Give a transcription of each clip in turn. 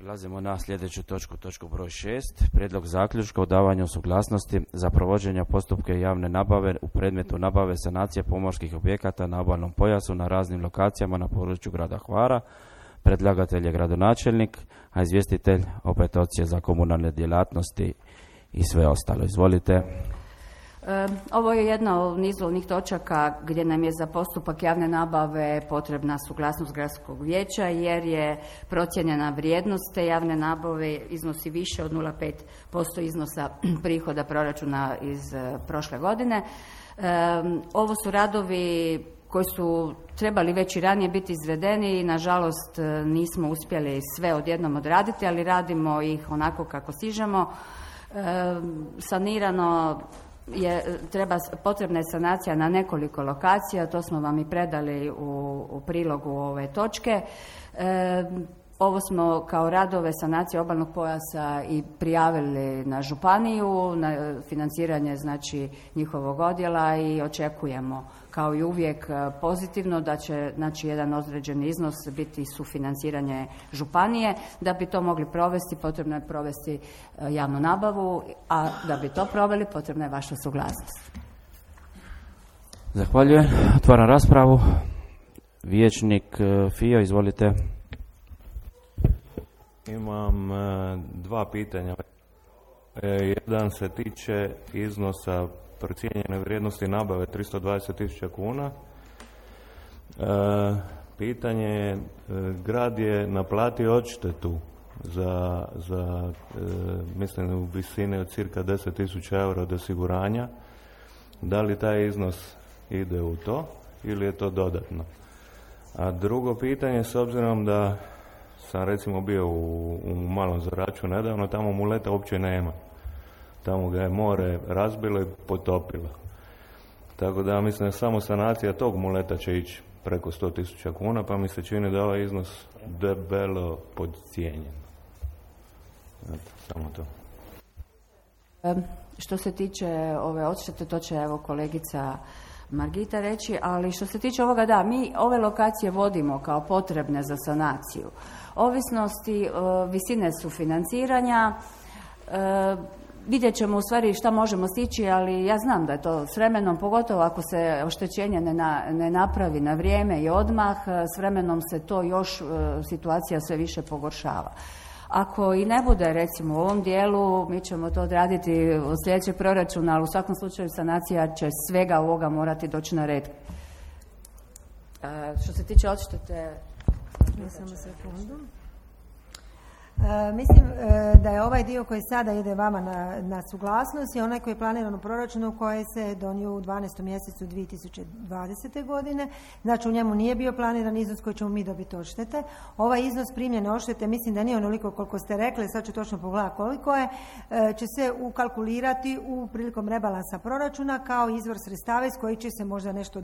Prelazimo na sljedeću točku broj 6. Prijedlog zaključka o davanju suglasnosti za provođenje postupka javne nabave u predmetu nabave sanacije pomorskih objekata na obalnom pojasu na raznim lokacijama na području grada Hvara. Predlagatelj je gradonačelnik, a izvjestitelj opet Odsjek za komunalne djelatnosti i sve ostalo. Izvolite. Ovo je jedna od nizu onih točaka gdje nam je za postupak javne nabave potrebna suglasnost gradskog vijeća jer je procijenjena vrijednost te javne nabave iznosi više od 0,5% iznosa prihoda proračuna iz prošle godine. Ovo su radovi koji su trebali već i ranije biti izvedeni i nažalost nismo uspjeli sve odjednom odraditi, ali radimo ih onako kako stižemo. Sanirano potrebna je sanacija na nekoliko lokacija, to smo vam i predali u prilogu ove točke. Ovo smo kao radove sanacije obalnog pojasa i prijavili na županiju, na financiranje znači njihovog odjela i očekujemo kao i uvijek pozitivno da će znači jedan određeni iznos biti sufinanciranje županije. Da bi to mogli provesti potrebno je provesti javnu nabavu, a da bi to proveli potrebna je vaša suglasnost. Zahvaljujem. Otvaram raspravu. Vijećnik Fio, izvolite. Imam dva pitanja. Jedan se tiče iznosa procijenjene vrijednosti nabave 320.000 kuna. Pitanje je, grad je naplatio odštetu za mislim u visini od cirka 10.000 eura od osiguranja. Da li taj iznos ide u to ili je to dodatno? A drugo pitanje, s obzirom da sam recimo bio u Malom Zraču nedavno, tamo muleta uopće nema. Tamo ga je more razbilo i potopilo. Tako da mislim da samo sanacija tog muleta će ići preko 100.000 kuna, pa mi se čini da ovaj iznos debelo podcijenjen. Samo to. Što se tiče ove odštete, to će evo kolegica Margita reći, ali što se tiče ovoga, da, mi ove lokacije vodimo kao potrebne za sanaciju. Ovisnosti visine sufinanciranja, vidjet ćemo u stvari šta možemo stići, ali ja znam da je to s vremenom, pogotovo ako se oštećenje ne napravi na vrijeme i odmah, s vremenom se to još situacija sve više pogoršava. Ako i ne bude recimo u ovom dijelu, mi ćemo to odraditi od sljedećeg proračuna, ali u svakom slučaju sanacija će svega ovoga morati doći na red. Što se tiče odštete... Samo sekundu. Mislim da je ovaj dio koji sada ide vama na suglasnost i onaj koji je planiran u proračunu koji se donio u 12. mjesecu 2020. godine. Znači u njemu nije bio planiran iznos koji ćemo mi dobiti odštete. Ovaj iznos primljene odštete mislim da nije onoliko koliko ste rekli, sad ću točno pogledati koliko je, će se ukalkulirati prilikom rebalansa proračuna kao izvor sredstava iz kojih će se možda nešto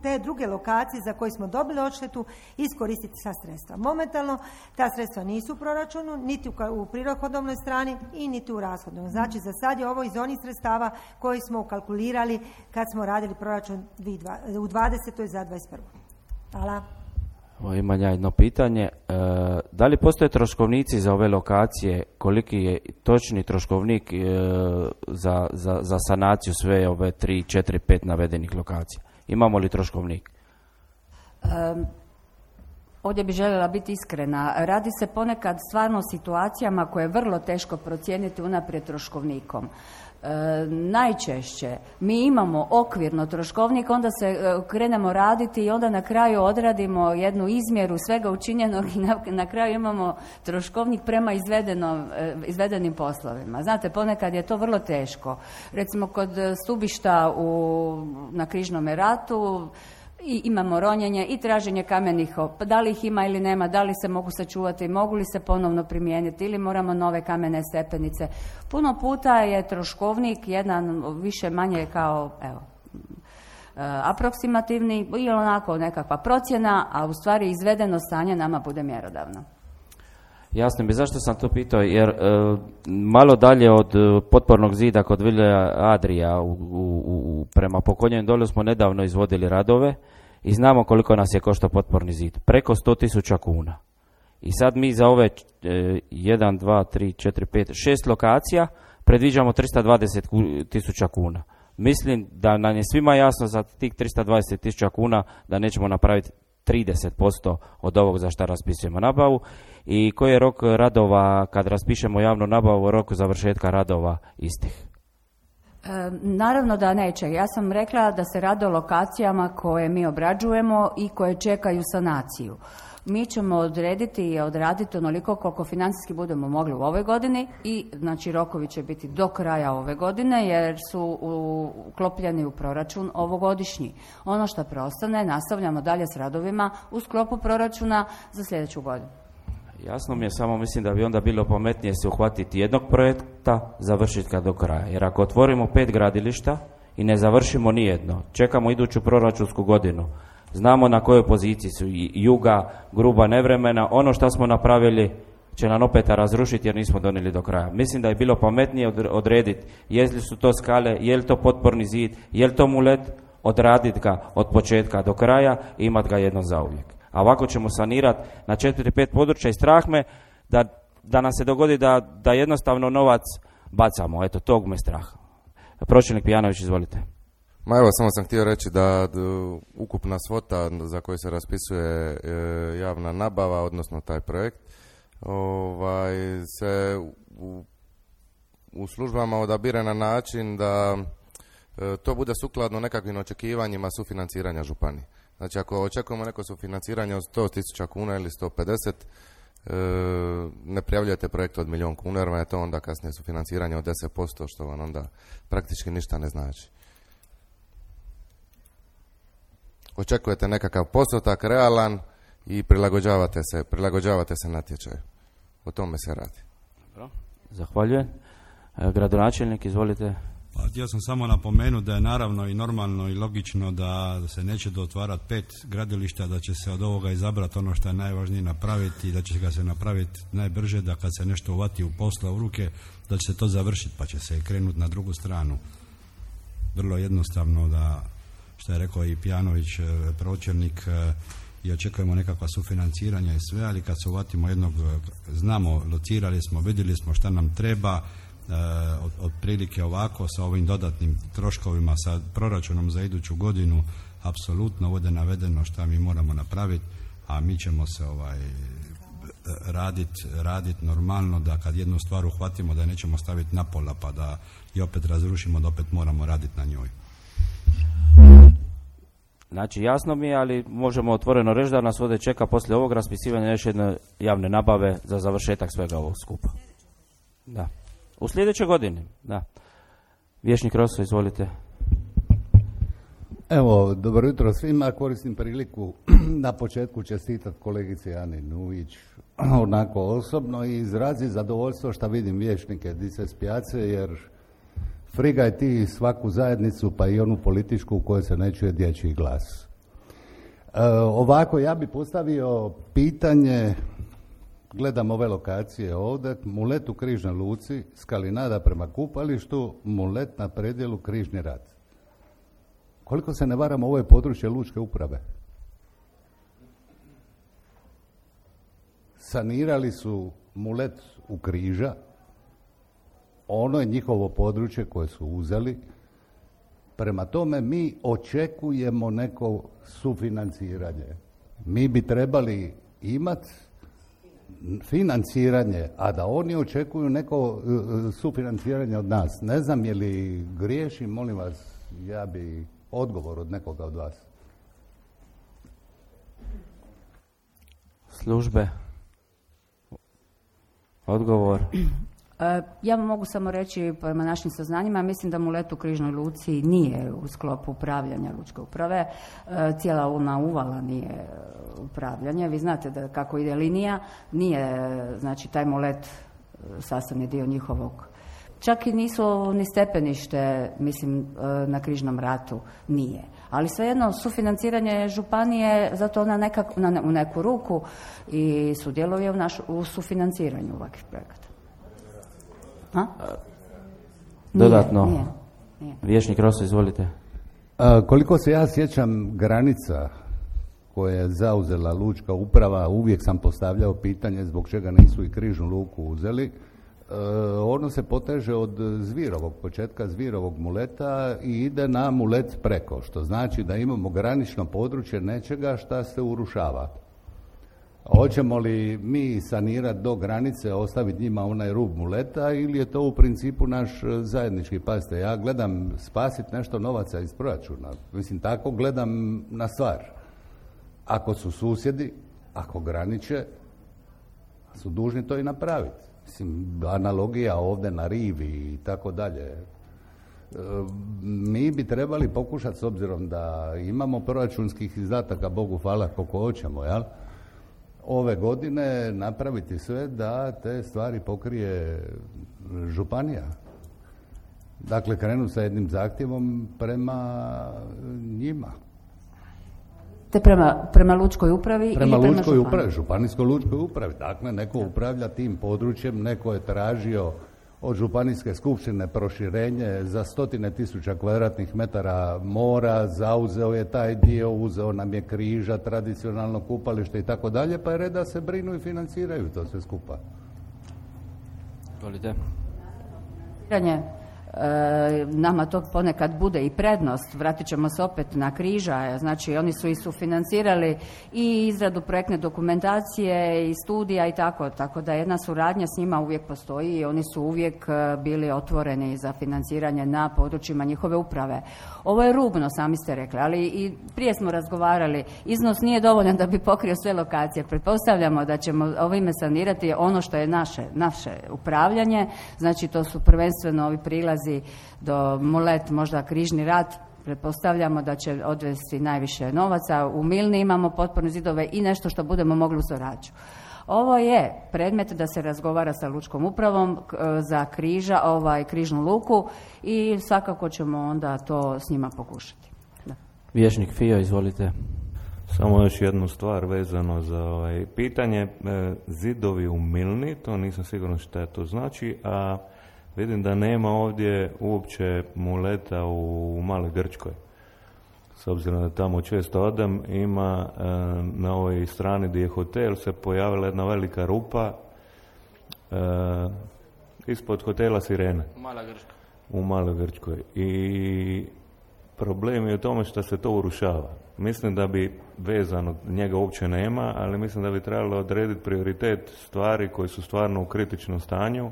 te druge lokacije za koje smo dobili odštetu iskoristiti sa sredstva. Momentalno ta sredstva nisu u proračunu, niti u prihodovnoj strani i niti u rashodnoj. Znači za sad je ovo iz onih sredstava koji smo ukalkulirali kad smo radili proračun u 20. za 21. Hvala. Imam ja jedno pitanje. Da li postoje troškovnici za ove lokacije? Koliki je točni troškovnik za sanaciju sve ove 3, 4, 5 navedenih lokacija? Imamo li troškovnik? Ovdje bi željela biti iskrena. Radi se ponekad stvarno o situacijama koje je vrlo teško procijeniti unaprijed troškovnikom. Najčešće mi imamo okvirno troškovnik, onda se krenemo raditi i onda na kraju odradimo jednu izmjeru svega učinjenog i na kraju imamo troškovnik prema izvedenim poslovima. Znate, ponekad je to vrlo teško. Recimo kod stubišta na Križnome ratu i imamo ronjenje i traženje kamenih, da li ih ima ili nema, da li se mogu sačuvati, mogu li se ponovno primijeniti ili moramo nove kamene stepenice. Puno puta je troškovnik jedan više manje kao aproksimativni ili onako nekakva procjena, a u stvari izvedeno stanje nama bude mjerodavno. Jasno mi, zašto sam to pitao, jer malo dalje od potpornog zida kod Vile Adria prema Pokonjem dolu smo nedavno izvodili radove i znamo koliko nas je koštao potporni zid. Preko 100.000 kuna. I sad mi za ove 1, 2, 3, 4, 5, 6 lokacija predviđamo 320.000 kuna. Mislim da nam je svima jasno za tih 320.000 kuna da nećemo napraviti 30% od ovog za što raspisujemo nabavu. I koji je rok radova kad raspišemo javnu nabavu, rok završetka radova istih? Naravno da neće. Ja sam rekla da se radi o lokacijama koje mi obrađujemo i koje čekaju sanaciju. Mi ćemo odrediti i odraditi onoliko koliko financijski budemo mogli u ovoj godini i znači rokovi će biti do kraja ove godine jer su uklopljeni u proračun ovogodišnji. Ono što preostane nastavljamo dalje s radovima u sklopu proračuna za sljedeću godinu. Jasno mi je, samo mislim da bi onda bilo pametnije se uhvatiti jednog projekta, završiti ga do kraja. Jer ako otvorimo 5 gradilišta i ne završimo nijedno, čekamo iduću proračunsku godinu, znamo na kojoj poziciji su Juga, Gruba, Nevremena, ono što smo napravili će nam opet razrušiti jer nismo donijeli do kraja. Mislim da je bilo pametnije odrediti je li su to skale, je li to potporni zid, je li to mulet, odraditi ga od početka do kraja i imati ga jednom zauvijek. A ovako ćemo sanirati na 4-5 područja i strah me da nam se dogodi da jednostavno novac bacamo. Eto, tog me strah. Pročelnik Pijanović, izvolite. Ma evo, samo sam htio reći da ukupna svota za koju se raspisuje javna nabava, odnosno taj projekt, se u službama odabire na način da to bude sukladno nekakvim očekivanjima sufinanciranja županije. Znači, ako očekujemo neko sufinanciranje od 100.000 kuna ili 150, ne prijavljujete projekt od 1.000.000 kuna, jer vam je to onda kasnije sufinanciranje od 10%, što vam onda praktički ništa ne znači. Očekujete nekakav postotak realan i prilagođavate se natječaju. O tome se radi. Dobro. Zahvaljujem. Gradonačelnik, izvolite. Pa htio sam samo napomenuti da je naravno i normalno i logično da se neće otvarati 5 gradilišta, da će se od ovoga izabrati ono što je najvažnije napraviti i da će ga se napraviti najbrže, da kad se nešto uvati u posla u ruke, da će se to završiti pa će se krenuti na drugu stranu. Vrlo jednostavno, da što je rekao i Pijanović, pročelnik, i očekujemo nekakva sufinanciranja i sve, ali kad se uvatimo jednog, znamo, locirali smo, vidjeli smo šta nam treba, otprilike ovako sa ovim dodatnim troškovima, sa proračunom za iduću godinu, apsolutno ovdje navedeno šta mi moramo napraviti, a mi ćemo se raditi normalno, da kad jednu stvar uhvatimo da je nećemo staviti na pola pa da i opet razrušimo, da opet moramo raditi na njoj. Znači, jasno mi je, ali možemo otvoreno reći da nas ovdje čeka poslije ovog raspisivanja još jedne javne nabave za završetak svega ovog skupa. Da. U sljedećoj godini, da. Vječnik Roso, izvolite. Evo, dobro jutro svima. Koristim priliku na početku čestitati kolegici Ani Nujić onako osobno i izraziti zadovoljstvo što vidim vječnike dice s pijace, jer frigaj ti svaku zajednicu, pa i onu političku u kojoj se ne čuje dječji glas. Ovako, ja bih postavio pitanje, gledam ove lokacije ovdje, Mulet u Križnoj luci, Skalinada prema kupalištu, Mulet na predjelu Križni rat. Koliko se ne varam, ovo je područje lučke uprave. Sanirali su Mulet u Križa, ono je njihovo područje koje su uzeli. Prema tome mi očekujemo neko sufinanciranje. Mi bi trebali imati financiranje, a da oni očekuju neko sufinanciranje od nas. Ne znam je li griješim, molim vas, ja bi odgovor od nekoga od vas. Službe. Odgovor. Ja vam mogu samo reći, prema našim saznanjima, mislim da Mulet u Križnoj luci nije u sklopu upravljanja lučke uprave. Cijela ona uvala nije upravljanje. Vi znate da kako ide linija, nije, znači, taj Mulet sastavni dio njihovog. Čak i nisu ni stepenište, mislim, na Križnom ratu nije. Ali svejedno, sufinanciranje županije, zato ona u neku ruku i sudjeluje u sufinanciranju ovakvih projekata. Dodatno. Nije. Vječnik Roso, izvolite. Koliko se ja sjećam, granica koje je zauzela lučka uprava, uvijek sam postavljao pitanje zbog čega nisu i križnu luku uzeli. Ono se poteže od Zvirovog, početka Zvirovog muleta i ide na mulet preko, što znači da imamo granično područje nečega šta se urušava. Hoćemo li mi sanirati do granice, ostaviti njima onaj rub muleta ili je to u principu naš zajednički? Pazite, ja gledam spasiti nešto novaca iz proračuna. Mislim, tako gledam na stvar. Ako su susjedi, ako graniče, su dužni to i napraviti. Mislim, analogija ovdje na rivi i tako dalje. Mi bi trebali pokušati, s obzirom da imamo proračunskih izdataka, Bogu hvala koliko hoćemo, jel? Ove godine napraviti sve da te stvari pokrije županija. Dakle, krenu sa jednim zahtjevom prema njima. Te prema lučkoj upravi? Prema ili lučkoj upravi, županijskoj lučkoj upravi. Dakle, neko upravlja tim područjem, neko je tražio od županijske skupštine proširenje za 100.000 kvadratnih metara mora, zauzeo je taj dio, uzeo nam je križa, tradicionalno kupalište i tako dalje, pa je red da se brinu i financiraju to sve skupa. Volite? Nama to ponekad bude i prednost, vratit ćemo se opet na križa, znači oni su i sufinancirali i izradu projektne dokumentacije i studija i tako da jedna suradnja s njima uvijek postoji i oni su uvijek bili otvoreni za financiranje na područjima njihove uprave. Ovo je rubno, sami ste rekli, ali i prije smo razgovarali, iznos nije dovoljan da bi pokrio sve lokacije. Pretpostavljamo da ćemo ovime sanirati ono što je naše upravljanje, znači to su prvenstveno ovi prilazi do mulet, možda križni rat, pretpostavljamo da će odvesti najviše novaca. U Milni imamo potporne zidove i nešto što budemo mogli u Soraću. Ovo je predmet da se razgovara sa lučkom upravom za križnu luku i svakako ćemo onda to s njima pokušati. Da. Vijećnik Fio, izvolite. Samo još jednu stvar vezano za pitanje. Zidovi u Milni, to nisam siguran šta to znači, a vidim da nema ovdje uopće muleta u Maloj Grčkoj. S obzirom da tamo često odem, ima na ovoj strani gdje je hotel se pojavila jedna velika rupa ispod hotela Sirene. Mala Grčka. U Maloj Grčkoj. I problem je u tome što se to urušava. Mislim da bi vezano, njega uopće nema, ali mislim da bi trebalo odrediti prioritet stvari koji su stvarno u kritičnom stanju,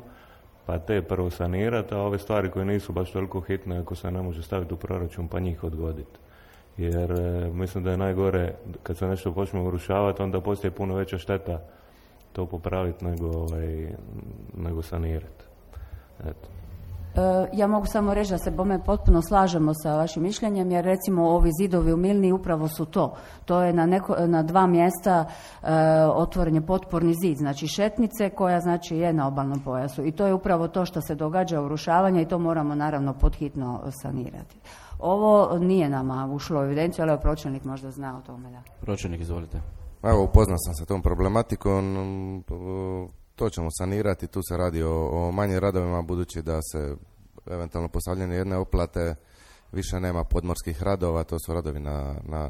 pa te prvo sanirati, a ove stvari koje nisu baš toliko hitne ako se ne može staviti u proračun, pa njih odgoditi. Jer mislim da je najgore kad se nešto počne urušavati, onda postoji puno veća šteta to popraviti nego sanirati. Eto. Ja mogu samo reći da se bome potpuno slažemo sa vašim mišljenjem, jer recimo ovi zidovi u Milni upravo su to. To je na dva mjesta otvoren je potporni zid, znači šetnice koja znači je na obalnom pojasu. I to je upravo to što se događa urušavanje i to moramo naravno podhitno sanirati. Ovo nije nama ušlo u evidenciju, ali pročelnik možda zna o tome. Da. Pročelnik, izvolite. Evo, upoznao sam se tom problematikom. To ćemo sanirati, tu se radi o manjim radovima, budući da se eventualno postavljene jedne oplate, više nema podmorskih radova, to su radovi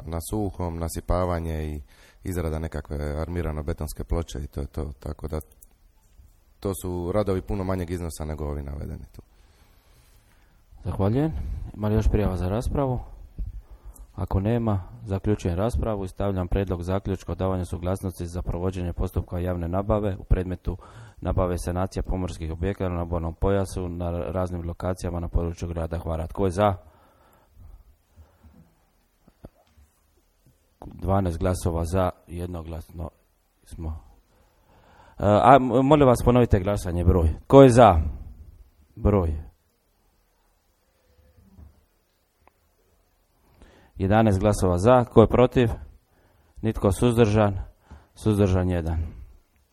na suhom, nasipavanje i izrada nekakve armirano-betonske ploče i to je to, tako da to su radovi puno manjeg iznosa nego ovi navedeni tu. Zahvaljujem. Ima li još prijava za raspravu? Ako nema, zaključujem raspravu i stavljam prijedlog zaključka o davanju suglasnosti za provođenje postupka javne nabave u predmetu nabave sanacija pomorskih objekata na obalnom pojasu na raznim lokacijama na području grada Hvara. Tko je za? 12 glasova za, jednoglasno smo. Molim vas, ponovite glasanje, broj. Tko je za? Broj. 11 glasova za. Tko je protiv? Nitko suzdržan. Suzdržan 1.